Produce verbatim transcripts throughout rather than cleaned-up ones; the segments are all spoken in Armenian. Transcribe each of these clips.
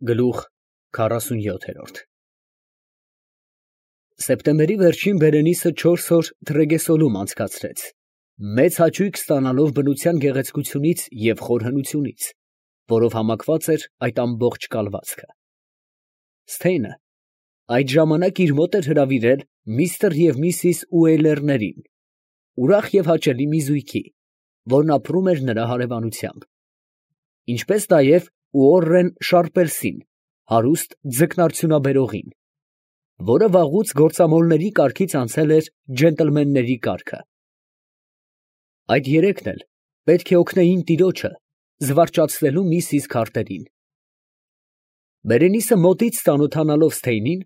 Գլուխ քառասունյոթ Սեպտեմբերի վերջին Բերենիսը չորս օր Թրեգեսոլում անցկացրեց, մեծ հաճույք ստանալով բնության գեղեցկությունից և խորհնությունից, որով համակված էր այդ ամբողջ կալվածքը։ Սթեյնը այդ ժամանակ իր մոտ էր հրավիրել միստր և միսիս Ուեյլերներին, ուրախ և հաճելի մի զույգի, որն ապրում էր նրա հարևանությամբ, ինչպես նաև Ուորրեն Շարպերսին, հարուստ ձկնարդյունաբերողին, որը վաղուց գործամոլների կարգից անցել էր ջենտլմենների կարգը։ Այդ երեքն էլ պետք է օգնեին տիրոջը զվարճացնելու միսիս Քարտերին։ Բերենիսը մոտից ծանոթանալով Սթեյնին,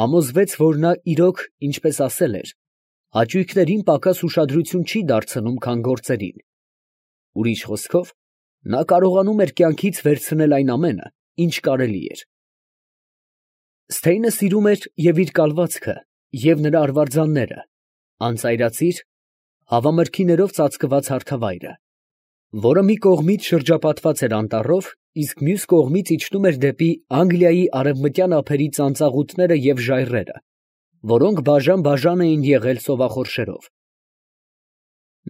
համոզվեց, որ նա իրոք, ինչպես ասել էր, հաճույքներին պակաս ուշադրություն չի դարձնում, քան գործերին, ուրիշ խոսքով, նա կարողանում էր կյանքից վերցնել այն ամենը, ինչ կարելի էր։ Սթեյնը սիրում էր և իր կալվածքը, և նրա արվարձանները, անծայրածիր, հավամրգիներով ծածկված հարթավայրը, որը մի կողմից շրջապատված էր անտառով, իսկ մյուս կողմից իջնում էր դեպի Անգլիայի արևմտյան ափերի ծանծաղուտները և ժայռերը, որոնք բաժան֊բաժան էին եղել ծովախորշերով։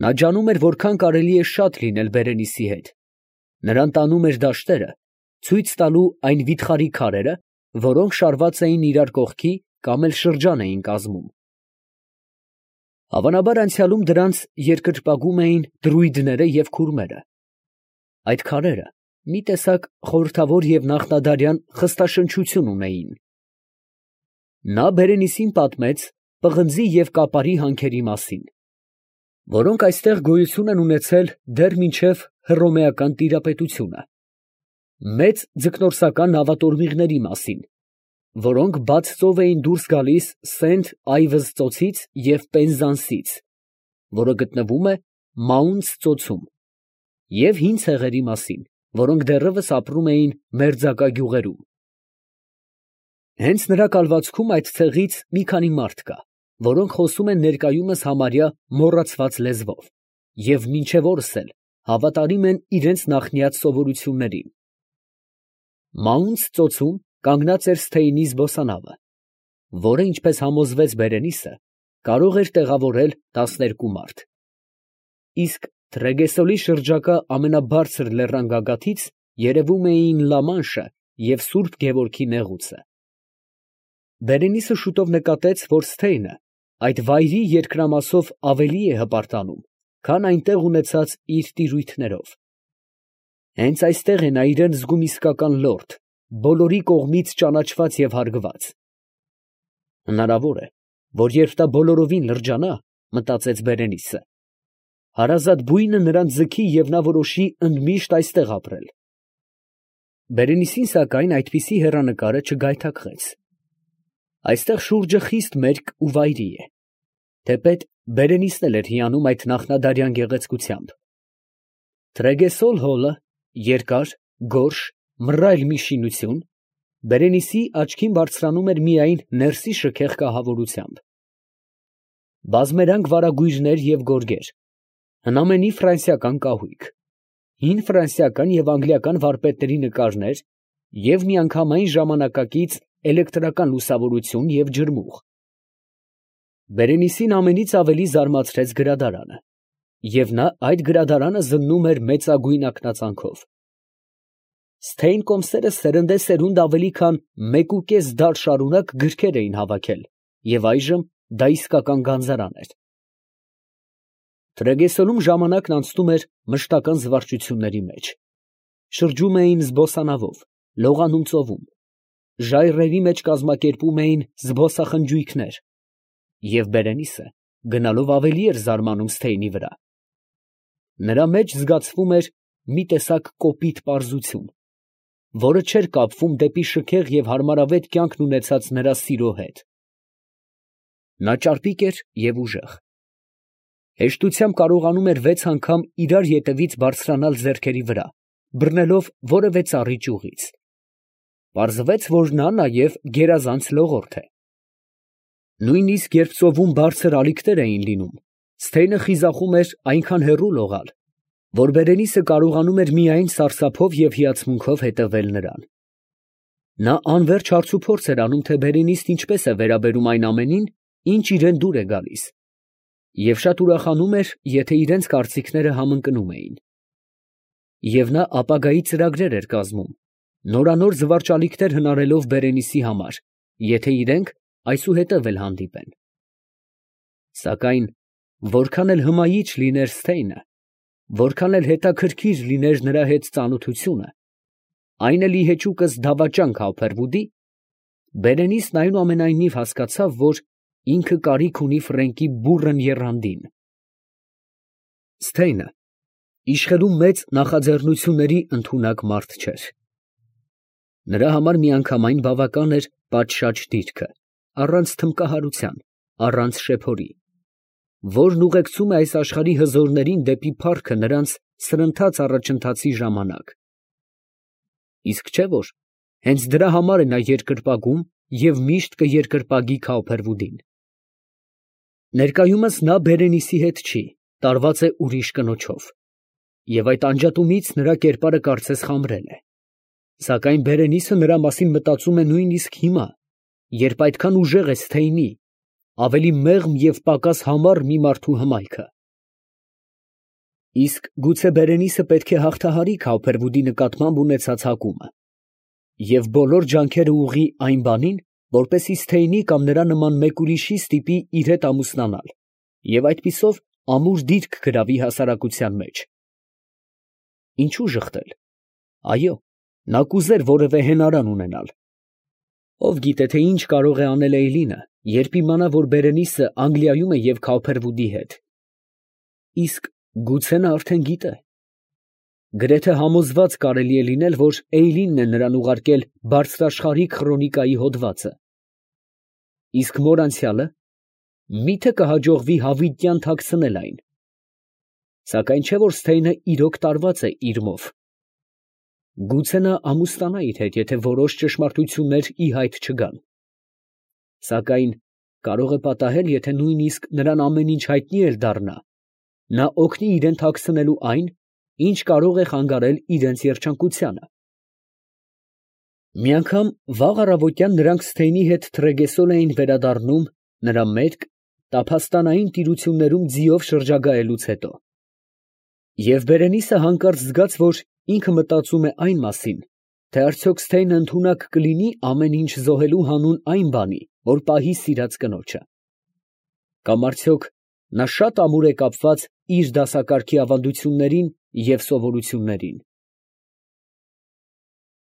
Նա ջանում էր որքան կարելի է շատ լինել Բերենիսի հետ, նրան տանում էր դաշտերը, ցույց տալու այն վիթխարի քարերը, որոնք շարված էին իրար կողքի կամ էլ շրջան էին կազմում։ Հավանաբար անցյալում դրանց երկրպագում էին դրույդները և քուրմերը։ Այդ քարերը մի տեսակ խորհրդավոր և նախնադարյան խստաշնչություն ունեին։ Նա Բերենիսին պատմեց պղնձի և կապարի հանքերի մասին, որոնք այստեղ գոյություն են ունեցել դեռ մինչև Հռոմեական տիրապետությունը, մեծ ձկնորսական նավատորմիղների մասին, որոնք բաց ծով էին դուրս գալիս Սենթ Այվզ ծոցից և Պենզանսից, որը գտնվում է Մաունց ծոցում, և հին ցեղերի մասին, որոնք դեռևս ապրում էին մերձակա գյուղերում։ Հենց նրա կալվածքում այդ ցեղից մի քանի մարդ կա, որոնք խոսում են ներկայումս համարյա մոռացված լեզվով և մինչև օրս էլ հավատարիմ են իրենց նախնյաց սովորություններին։ Մաունց ծոցում կանգնած էր Սթեյնի զբոսանավը, որը, ինչպես համոզվեց Բերենիսը, կարող էր տեղավորել տասներկու մարդ։ Իսկ Թրեգեսոլի շրջակա ամենաբարձր լեռան գագաթից երևում էին Լա Մանշը և Սուրբ Գևորգի նեղուցը։ Բերենիսը շուտով նկատեց, որ Սթեյնը այդ վայրի երկրամասով ավելի է հպարտանում, քան այնտեղ ունեցած իր տիրույթներով։ Հենց այստեղ է նա իրան զգում իսկական լորդ, բոլորի կողմից ճանաչված և հարգված։ Հնարավոր է, որ երբ նա բոլորովին լրջանա, մտածեց Բերենիսը, հարազատ բույնը նրան ձգի և նա որոշի ընդմիշտ այստեղ ապրել։ Բերենիսին, սակայն, այդպիսի հեռանկարը չգայթակղեց։ Այստեղ շուրջը խիստ մերկ ու վայրի է, թեպետ Բերենիսն էլ էր հիանում այդ նախնադարյան գեղեցկությամբ։ Թրեգեսոլ հոլը, երկար, գորշ, մռայլ մի շինություն, Բերենիսի աչքին բարձրանում էր միայն ներսի շքեղ կահավորությամբ։ Բազմերանգ վարագույրներ և գորգեր, հնամենի ֆրանսիական կահույք, հին ֆրանսիական և անգլիական վարպետների նկարներ և միանգամայն ժամանակակից էլեկտրական լուսավորություն և ջրմուղ։ Բերենիսին ամենից ավելի զարմացրեց գրադարանը, և նա այդ գրադարանը զննում էր մեծագույն ակնածանքով։ Սթեյն կոմսերը սերնդեսերունդ ավելի քան մեկուկես դար շարունակ գրքեր էին հավաքել, և այժմ դա իսկական գանձարան էր։ Թրեգեսոլում ժամանակն անցնում էր մշտական զվարճությունների մեջ. շրջում էին զբոսանավով, լողանում ծովում, ժայռերի մեջ կազմակերպում էին զբոսախնջույքներ, և Բերենիսը գնալով ավելի էր զարմանում Սթեյնի վրա։ Նրա մեջ զգացվում էր մի տեսակ կոպիտ պարզություն, որը չէր կապվում դեպի շքեղ և հարմարավետ կյանքն ունեցած նրա սիրո հետ։ Նա ճարպիկ էր և ուժեղ, հեշտությամբ կարողանում էր վեց անգամ իրար ետևից բարձրանալ ձեռքերի վրա, բռնելով որևէ ծառի ճյուղից։ Պարզվեց, որ նա նաև գերազանց լողորդ է։ Նույնիսկ երբ ծովում բարձր ալիքներ էին լինում, Սթեյնը խիզախում էր այնքան հեռու լողալ, որ Բերենիսը կարողանում էր միայն սարսափով և հիացմունքով հետևել նրան։ Նա անվերջ հարցուփորձ էր անում, թե Բերենիսն ինչպես է վերաբերում այն ամենին, ինչ իրան դուր է գալիս, և շատ ուրախանում էր, եթե իրենց կարծիքները համընկնում էին. և նա ապագայի ծրագրեր էր կազմում, նորանոր զվարճալիքներ հնարելով Բերենիսի համար, եթե իրենք այսուհետև էլ հանդիպեն. սակայն որքան էլ հմայիչ լիներ Սթեյնը, որքան էլ հետաքրքիր լիներ նրա հետ ծանոթությունը, այն էլ ի հեճուկս դավաճան Քավփերվուդի, Բերենիսն այնուամենայնիվ հասկացավ, որ ինքը կարիք ունի Ֆրենկի բուռն եռանդին։ Սթեյնը իշխելու մեծ նախաձեռնությունների ընդունակ մարդ չէր. նրա համար միանգամայն բավական էր պատշաճ դիրքը, առանց թմկահարության, առանց շեփորի, որն ուղեկցում է այս աշխարհի հզորներին դեպի փառքը նրանց սրընթաց առաջընթացի ժամանակ։ Իսկ չէ՞ որ հենց դրա համար է նա երկրպագում և միշտ կերկրպագի Քավփերվուդին։ Ներկայումս նա Բերենիսի հետ չի, տարված է ուրիշ կնոջով, և այդ անջատումից նրա կերպարը կարծես խամրել է, սակայն Բերենիսը նրա մասին մտածում է նույնիսկ հիմա, երբ այդքան ուժեղ է Սթեյնի, ավելի մեղմ և պակաս համառ մի մարդու հմայքը։ Իսկ գուցե Բերենիսը պետք է հաղթահարի Քավփերվուդի նկատմամբ ունեցած հակումը և բոլոր ջանքերը ուղղի այն բանին, որպեսզի Սթեյնի կամ նրա նման մեկ ուրիշի ստիպի իր հետ ամուսնանալ և այդպիսով ամուր դիրք գրավի հասարակության մեջ։ Ինչո՞ւ ժխտել. այո, նա կուզեր որևէ հենարան ունենալ։ Ով գիտե, թե ինչ կարող է անել Էյլինը, երբ իմանա, որ Բերենիսը Անգլիայում է և Քավփերվուդի հետ։ Իսկ գուցե նա արդեն գիտե։ Գրեթե համոզված կարելի է լինել, որ Էյլինն է նրան ուղարկել բարձրաշխարհիկ խրոնիկայի հոդվածը։ Իսկ մոր անցյալը, մի՞թե կհաջողվի հավիտյան թաքցնել այն։ Սակայն չէ՞ որ Սթեյնը իրոք տարված է իրմով։ Գուցե նա ամուսնանա իր հետ, եթե որոշ ճշմարտություններ ի հայտ չգան։ Սակայն կարող է պատահել, եթե նույնիսկ նրան ամեն ինչ հայտնի էլ դառնա, նա օգնի իրան թաքցնելու այն, ինչ կարող է խանգարել իրենց երջանկությանը։ Մի անգամ վաղ առավոտյան նրանք Սթեյնի հետ Թրեգեսոլ էին վերադառնում նրա մերկ, տափաստանային տիրություններում ձիով շրջագայելուց հետո, և Բերենիսը հանկարծ զգաց, որ ինքը մտածում է այն մասին, թե արդյոք Սթեյնը ընդունակ կլինի ամեն ինչ զոհելու հանուն այն բանի, որ պահի սիրած կնոջը, կամ արդյոք նա շատ ամուր է կապված իր դասակարգի ավանդություններին և սովորություններին։